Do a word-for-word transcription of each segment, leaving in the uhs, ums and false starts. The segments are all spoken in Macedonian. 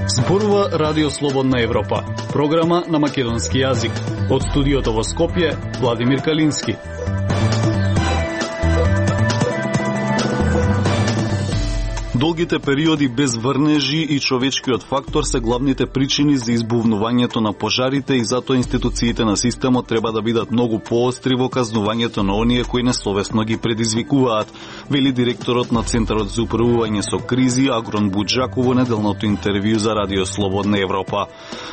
Зборува Радио Слободна Европа, програма на македонски јазик. Од студиото во Скопје, Владимир Калински. Долгите периоди без врнежи и човечкиот фактор се главните причини за избувнувањето на пожарите и затоа институциите на системот треба да бидат многу поостри во казнувањето на оние кои несовесно ги предизвикуваат, вели директорот на Центарот за управување со кризи Агрон Буџаков во неделното интервју за Радио Слободна Европа.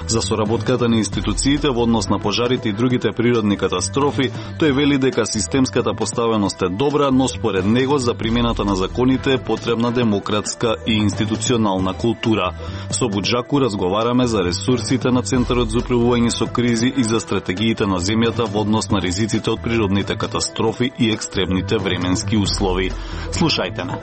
За соработката на институциите во однос на пожарите и другите природни катастрофи, тој вели дека системската поставеност е добра, но според него за примената на законите е потребна демократска и институционална култура. Со Буџаку разговараме за ресурсите на Центарот за управување со кризи и за стратегиите на земјата во однос на ризиците од природните катастрофи и екстремните временски услови. Слушајте ме.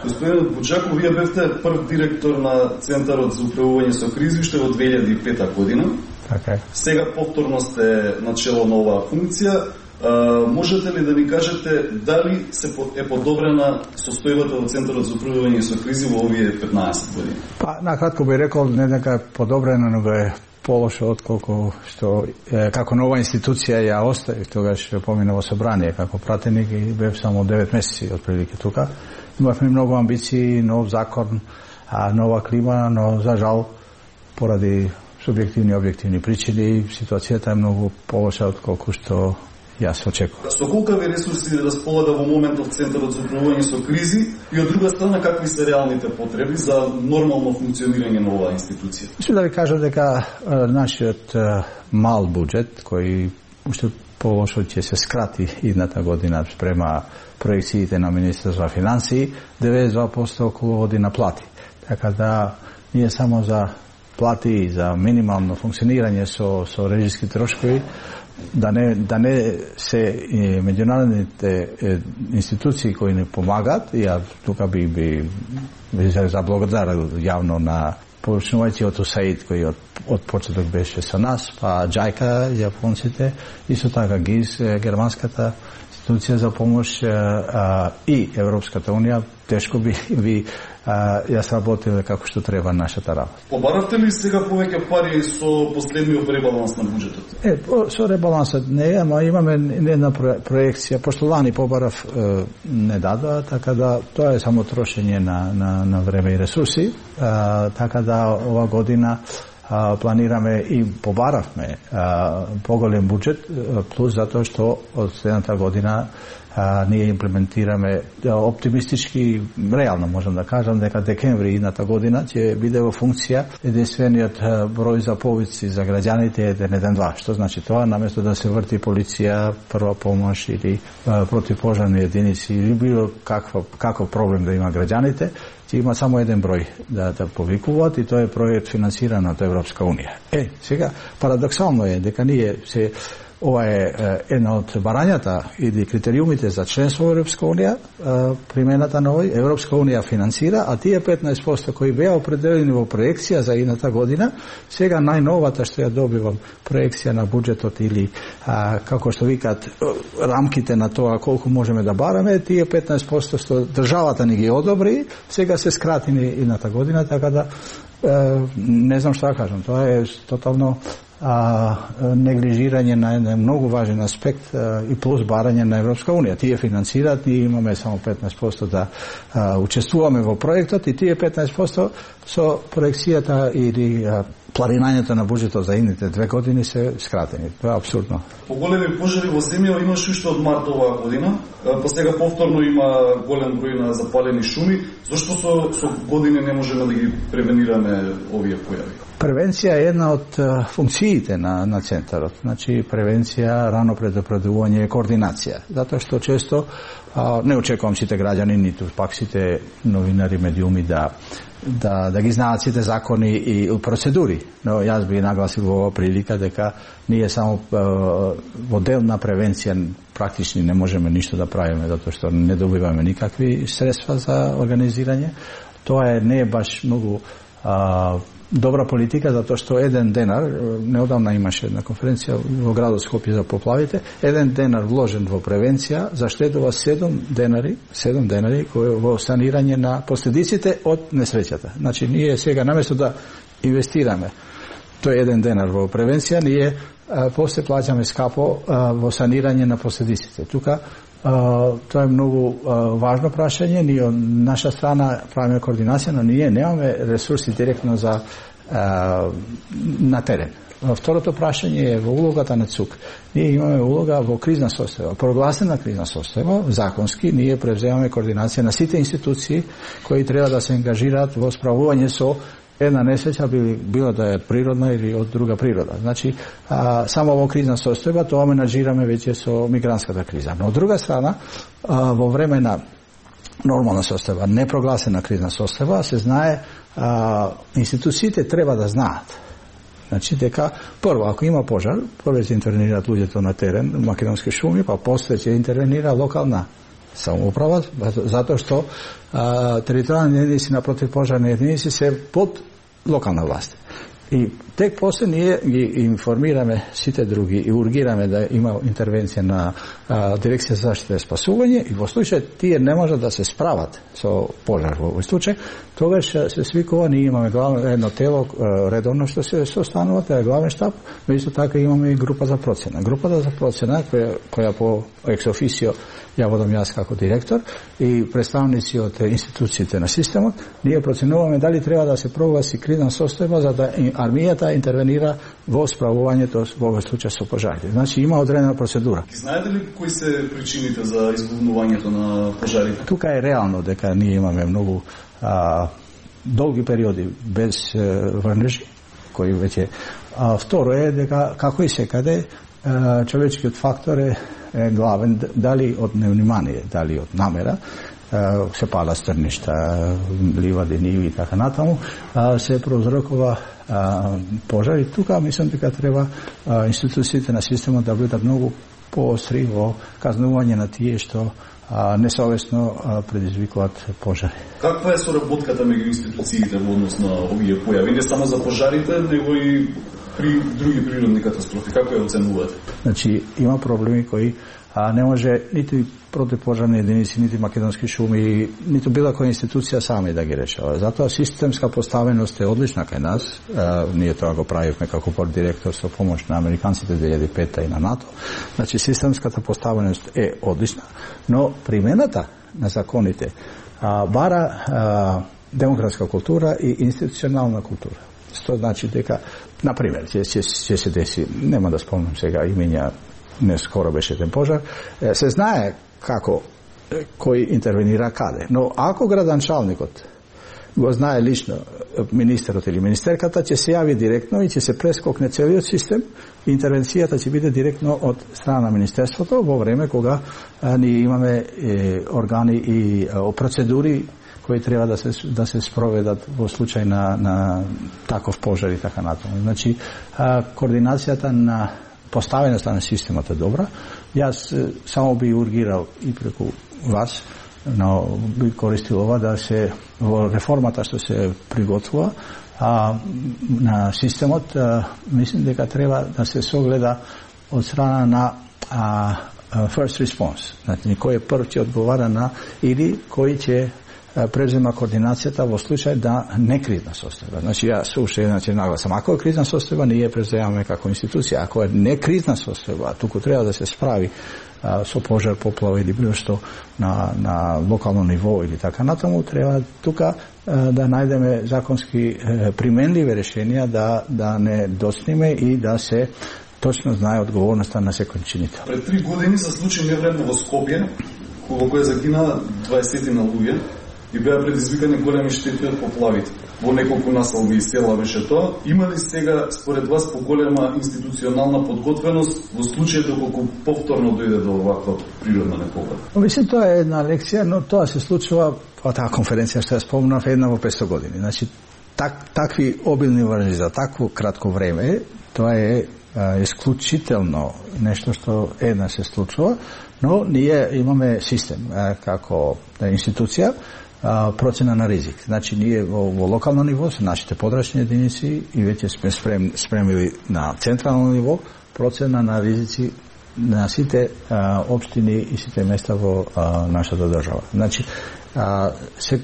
Господин Буџаку, вие бевте прв директор на Центарот за управување со кризи уште во две илјади и пета година. Така е. Сега повторно сте начело на оваа функција. Uh, можете ли да ни кажете дали се е подобрена состојбата во Центарот за управување со кризи во овие петнаесет години? Па, накратко би рекол, не дека е подобрена, но е полошо отколку што е, како нова институција ја оставив тогаш помина во собрание како пратеник и бев само девет месеци отприлике тука. Имавме многу амбиции, нов закон, а, нова клима, но за жал поради субјективни и објективни причини ситуацијата е многу полоша отколку што јас очекувам. Со колкави ресурси располага во моментов Центарот за управување со кризи и од друга страна какви се реалните потреби за нормално функционирање на оваа институција? Мислам да ви кажам дека е, нашиот е, мал буџет кој уште полошо ќе се скрати идната година спрема проекциите на Министерство за финансии, деветдесет и два проценти околу оди на плати. Така да ние само за плати и за минимално функционирање со со режиски трошкови да не да не се е, меѓународните е, институции кои не помагаат, и ја тука би би, би заблагодарил јавно на почнувајќи од УСАИД кој од, од почеток беше со нас, па џајка, јапонците, исто така ГИЗ, германската институција за помош а, и Европската унија, тешко би, би а, јас работил како што треба нашата работа. Побаравте ли сега повеќе пари со последниот ребаланс на буџетот? Е, со ребалансот не, ама имаме една проекција, пошто лани побарав е, не дадоа, така да тоа е само трошење на, на, на време и ресурси, а, така да ова година а, планираме и побаравме а, поголем буџет, плюс затоа што од следната година а, ние имплементираме оптимистички, реално можам да кажам дека декември идната година ќе биде во функција единствениот број за повици за граѓаните еден еден два, што значи тоа наместо да се врти полиција, прва помош или а, противпожарни единици или било каква каков проблем да има граѓаните, ќе има само еден број да да повикуваат и тоа е проект финансиран од Европска унија. Е, сега парадоксално е дека ние се ова е една од барањата или критериумите за членство во Европска унија, примената на овој, Европска унија финансира, а тие петнаесет проценти кои беа определени во проекција за идната година, сега најновата што ја добивам проекција на буџетот или а, како што викаат рамките на тоа колку можеме да бараме, тие петнаесет проценти што државата ни ги одобри, сега се скратени идната година, така да е, не знам што да кажам, тоа е тотално а, неглижирање на еден многу важен аспект а, и плюс барање на Европска унија. Тие финансираат, ние имаме само петнаесет проценти да а, учествуваме во проектот и тие петнаесет проценти со проекцијата или а, планирањето на буџетот за идните две години се скратени. Тоа е апсурдно. Поголеми пожари во земја имаше уште од март оваа година, па сега повторно има голем број на запалени шуми. Зошто со, со години не можеме да ги превенираме овие појави? Превенција е една од uh, функциите на, на Центарот. Значи, превенција, рано предупредување и координација. Затоа што често uh, не очекувам сите граѓани, ниту пак сите новинари, медиуми да да да ги знаат сите закони и процедури. Но јас би нагласил во оваа прилика дека ние само uh, во дел на превенција практични не можеме ништо да правиме, затоа што не добиваме никакви средства за организирање. Тоа е не е баш многу uh, добра политика, затоа што еден денар, неодамна имаше една конференција во градот Скопје за поплавите, еден денар вложен во превенција заштедува седум денари, седум денари кои во санирање на последиците од несреќата. Значи ние сега наместо да инвестираме тој еден денар во превенција, ние а, после плаќаме скапо а, во санирање на последиците. Тука Uh, тоа е многу uh, важно прашање. Ние од наша страна правиме координација, но ние немаме ресурси директно за uh, на терен. Второто прашање е во улогата на ЦУК. Ние имаме улога во кризна состојба, прогласена кризна состојба, законски ние превземаме координација на сите институции кои треба да се ангажираат во справување со една несреќа, било да е природна или од друга природа. Значи, а, само во кризна состојба тоа менаџираме веќе со мигрантската криза. Но од друга страна, а, во време на нормална состојба, непрогласена кризна состојба, се знае, а, институциите треба да знаат. Значи, дека, прво, ако има пожар, прво ќе интервенираат луѓето на терен, македонски шуми, па после ќе интервенира локална самоуправа, затоа што а, територијални единици на противпожарни единици се под локална власт. И тек после ние ги информираме сите други и ургираме да има интервенција на а, Дирекција за заштита и спасување, и во случај тие не можат да се справат со пожар во овој случај, тогаш се свикува, ние имаме главно едно тело редовно што се состанува, тоа е главен штаб, но исто така имаме и група за процена. Групата за процена која, која по екс-официо ја водам јас како директор и представници од институциите на системот, ние проценуваме дали треба да се прогласи кризна состојба за да армијата интервенира во справувањето во овој случај со пожарите. Значи има одредена процедура. И знаете ли кои се причините за избувнувањето на пожарите? Тука е реално дека ние имаме многу а, долги периоди без е, врнежи, кои веќе а, второ е дека како и секаде а, човечкиот фактор е, е главен, дали од невнимание, дали од намера, се пала стрништа, ливади, ниви и така натаму, се прозрокува пожар и тука мислам дека треба институциите на системот да бидат многу поостри во казнување на тие што несовесно предизвикуваат пожари. Каква е соработката меѓу институциите во однос на овие појави? Не само за пожарите, него и при други природни катастрофи. Како ја оценувате? Значи, има проблеми кои а, не може ниту противпожарни единици, нити македонски шуми, ниту била која институција сами да ги решава. Затоа системска поставеност е одлична кај нас. А, ние тоа го правивме како пордиректор со помош на американците две илјади и пета и на НАТО. Значи, системската поставеност е одлична, но примената на законите а, бара а, демократска култура и институционална култура. Што значи дека, например, ќе, ќе, ќе се деси, нема да спомнам сега имења, не скоро беше еден пожар, се знае како кој интервенира каде. Но ако градоначалникот го знае лично министерот или министерката, ќе се јави директно и ќе се прескокне целиот систем, интервенцијата ќе биде директно од страна на министерството во време кога а, ние имаме е, органи и а, процедури кои треба да се да се спроведат во случај на на таков пожар и така натаму. Значи, а, координацијата на поставеноста на системот е добра. Јас само би ургирал и преку вас, но би користил ова да се во реформата што се приготвува а, на системот, а, мислим дека треба да се согледа од страна на а, first response. Значи, кој е прв ќе одговара на или кој ќе презема координацијата во случај да не кризна состојба. Значи, јас уште еднаш нагласам, ако е кризна состојба, ние преземаме како институција. Ако е не кризна состојба, туку треба да се справи а, со пожар, поплава или било што на, на локално ниво или така натаму, треба тука а, да најдеме законски а, применливи решенија, да, да не доцниме и да се точно знае одговорноста на секој чинител. Пред три години се случи невредно во Скопје, во кој загина дваесет на луѓе и беа предизвикани големи штети од поплавите. Во неколку населби и села беше тоа. Има ли сега, според вас, поголема институционална подготвеност во случај доколку повторно дојде до оваква природна непогода? Мислим, тоа е една лекција, но тоа се случува, па таа конференција што ја спомнав, една во петстотини години. Значи, так, такви обилни врнежи за такво кратко време, тоа е исклучително нешто што една се случува, но ние имаме систем а, како институција а, процена на ризик. Значи ние во, во локално ниво со нашите подрачни единици и веќе сме спрем, спремили на централно ниво процена на ризици на сите а, општини и сите места во а, нашата држава. Значи а, се,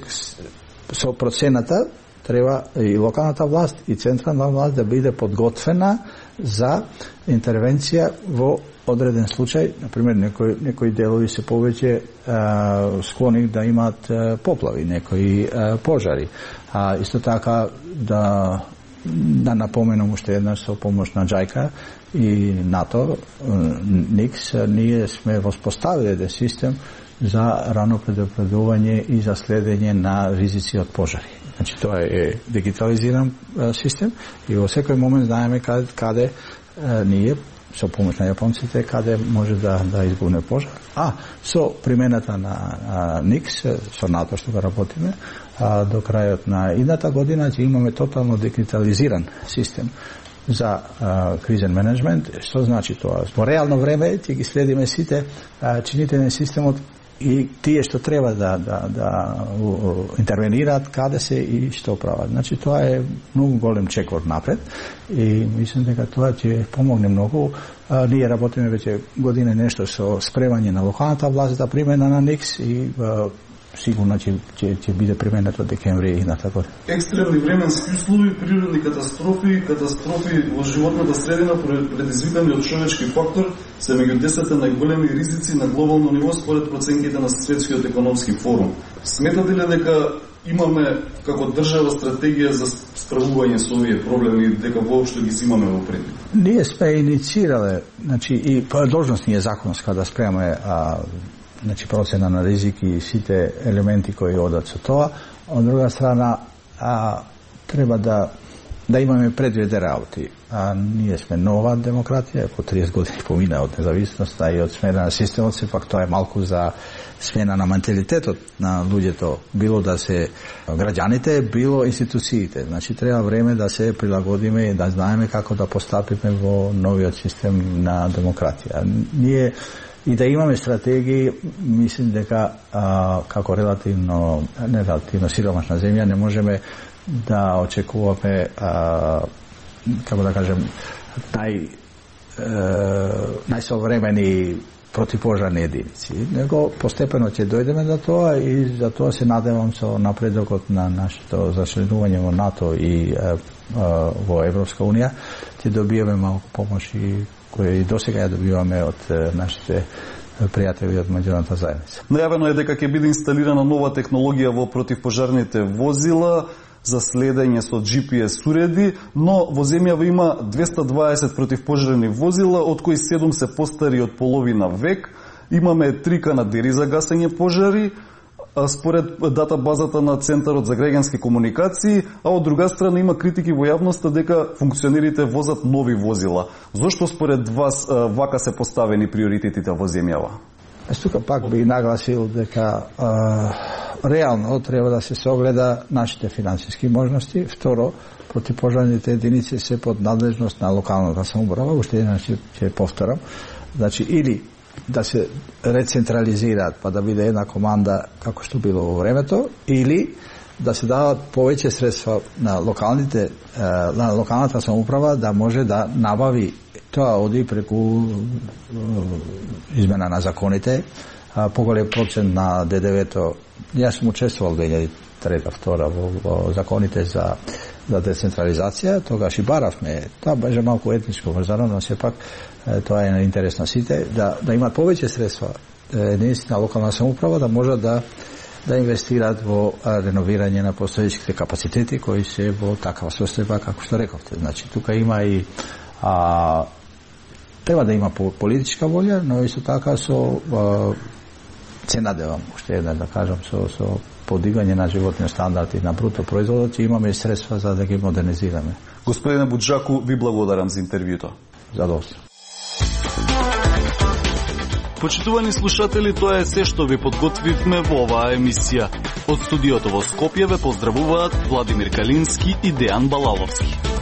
со процената треба и локалната власт и централна власт да биде подготвена за интервенција во одреден случај. Например, некои, некои делови се повеќе а, склони да имаат а, поплави, некои а, пожари. А исто така да да напоменам уште еднаш со помош на Джајка и НАТО, НИКС, ние сме воспоставили еден систем за рано предупредување и за следење на ризици од пожари. Значи тоа е дигитализиран а, систем и во секој момент знаеме каде, каде а, ние со помош на јапонците каде може да да избуне пожар. А со примената на а, НИКС со НАТО што го работиме, а, до крајот на идната година ќе имаме тотално дигитализиран систем за а, кризен менеджмент. Што значи тоа? Во реално време ќе ги следиме сите а, чините на системот и тие што треба да да да интервенираат, каде се и што прават. Значи тоа е многу голем чекор напред и мислам дека тоа ќе помогне многу. А, ние работиме веќе година нешто со спремање на локалната власт да примена на НИКС и а, сигурно ќе ќе ќе биде применето декември и на така. Екстремни временски услови, природни катастрофи, катастрофи во животната средина предизвикани од човечки фактор се меѓу десет најголеми ризици на глобално ниво според проценките на Светскиот економски форум. Сметате ли дека имаме како држава стратегија за справување со овие проблеми, дека воопшто ги имаме во предвид? Ние сме инициирале, значи и должност ни е законска да спремаме а, значи процена на ризики и сите елементи кои одат со тоа. Од друга страна, а, треба да да имаме предвид работи. А ние сме нова демократија, по триесет години помина од независноста и од смена на системот, сепак тоа е малку за смена на менталитетот на луѓето, било да се граѓаните, било институциите. Значи треба време да се прилагодиме и да знаеме како да постапиме во новиот систем на демократија. Ние и да имаме стратегии, мислим дека а, како релативно, не релативно сиромашна земја не можеме да очекуваме, а, како да кажем, нај, е, најсовремени противпожарни единици. Него постепено ќе дојдеме до тоа и за тоа се надевам со напредокот на нашето зачленување во НАТО и е, е, во Европска Унија ќе добиеме малку помош и кои и досега ја добиваме од нашите пријатели од меѓународната заедница. Најавено е дека ќе биде инсталирана нова технологија во противпожарните возила за следење со Джи Пи Ес уреди, но во земјава има двесте дваесет противпожарни возила, од кои седум се постари од половина век. Имаме три канадери за гасење пожари, според датабазата на Центарот за граѓански комуникации, а од друга страна има критики во јавноста дека функционерите возат нови возила. Зошто според вас вака се поставени приоритетите во земјава? Аз тука пак би нагласил дека а, реално треба да се согледа нашите финансиски можности. Второ, противпожарните единици се под надлежност на локалната самоуправа, уште еднаш ќе повторам. Значи, или да се рецентрализираат, па да биде една команда како што било во времето, или да се дават повеќе средства на локалните на локалната самоуправа да може да набави. Тоа оди преку измена на законите, поголем процент на Д Д В-то. Јас сум учествувал две илјади и трета втора во, во законите за за децентрализација, тогаш и баравме. Тоа беше малку етничко врзано, но сепак тоа е интерес на сите, да, да имат повеќе средства единици на локална самоуправа, да можат да да инвестираат во реновирање на постоечките капацитети кои се во такава состојба како што рековте. Значи тука има и а, треба да има политичка волја, но исто така со а, се надевам уште една да кажам со со подигање на животниот стандард и на бруто производот, ќе имаме средства за да ги модернизираме. Господине Буџаку, ви благодарам за интервјуто. Задоволство. Почитувани слушатели, тоа е се што ви подготвивме во оваа емисија. Од студиото во Скопје ве поздравуваат Владимир Калински и Дејан Балаловски.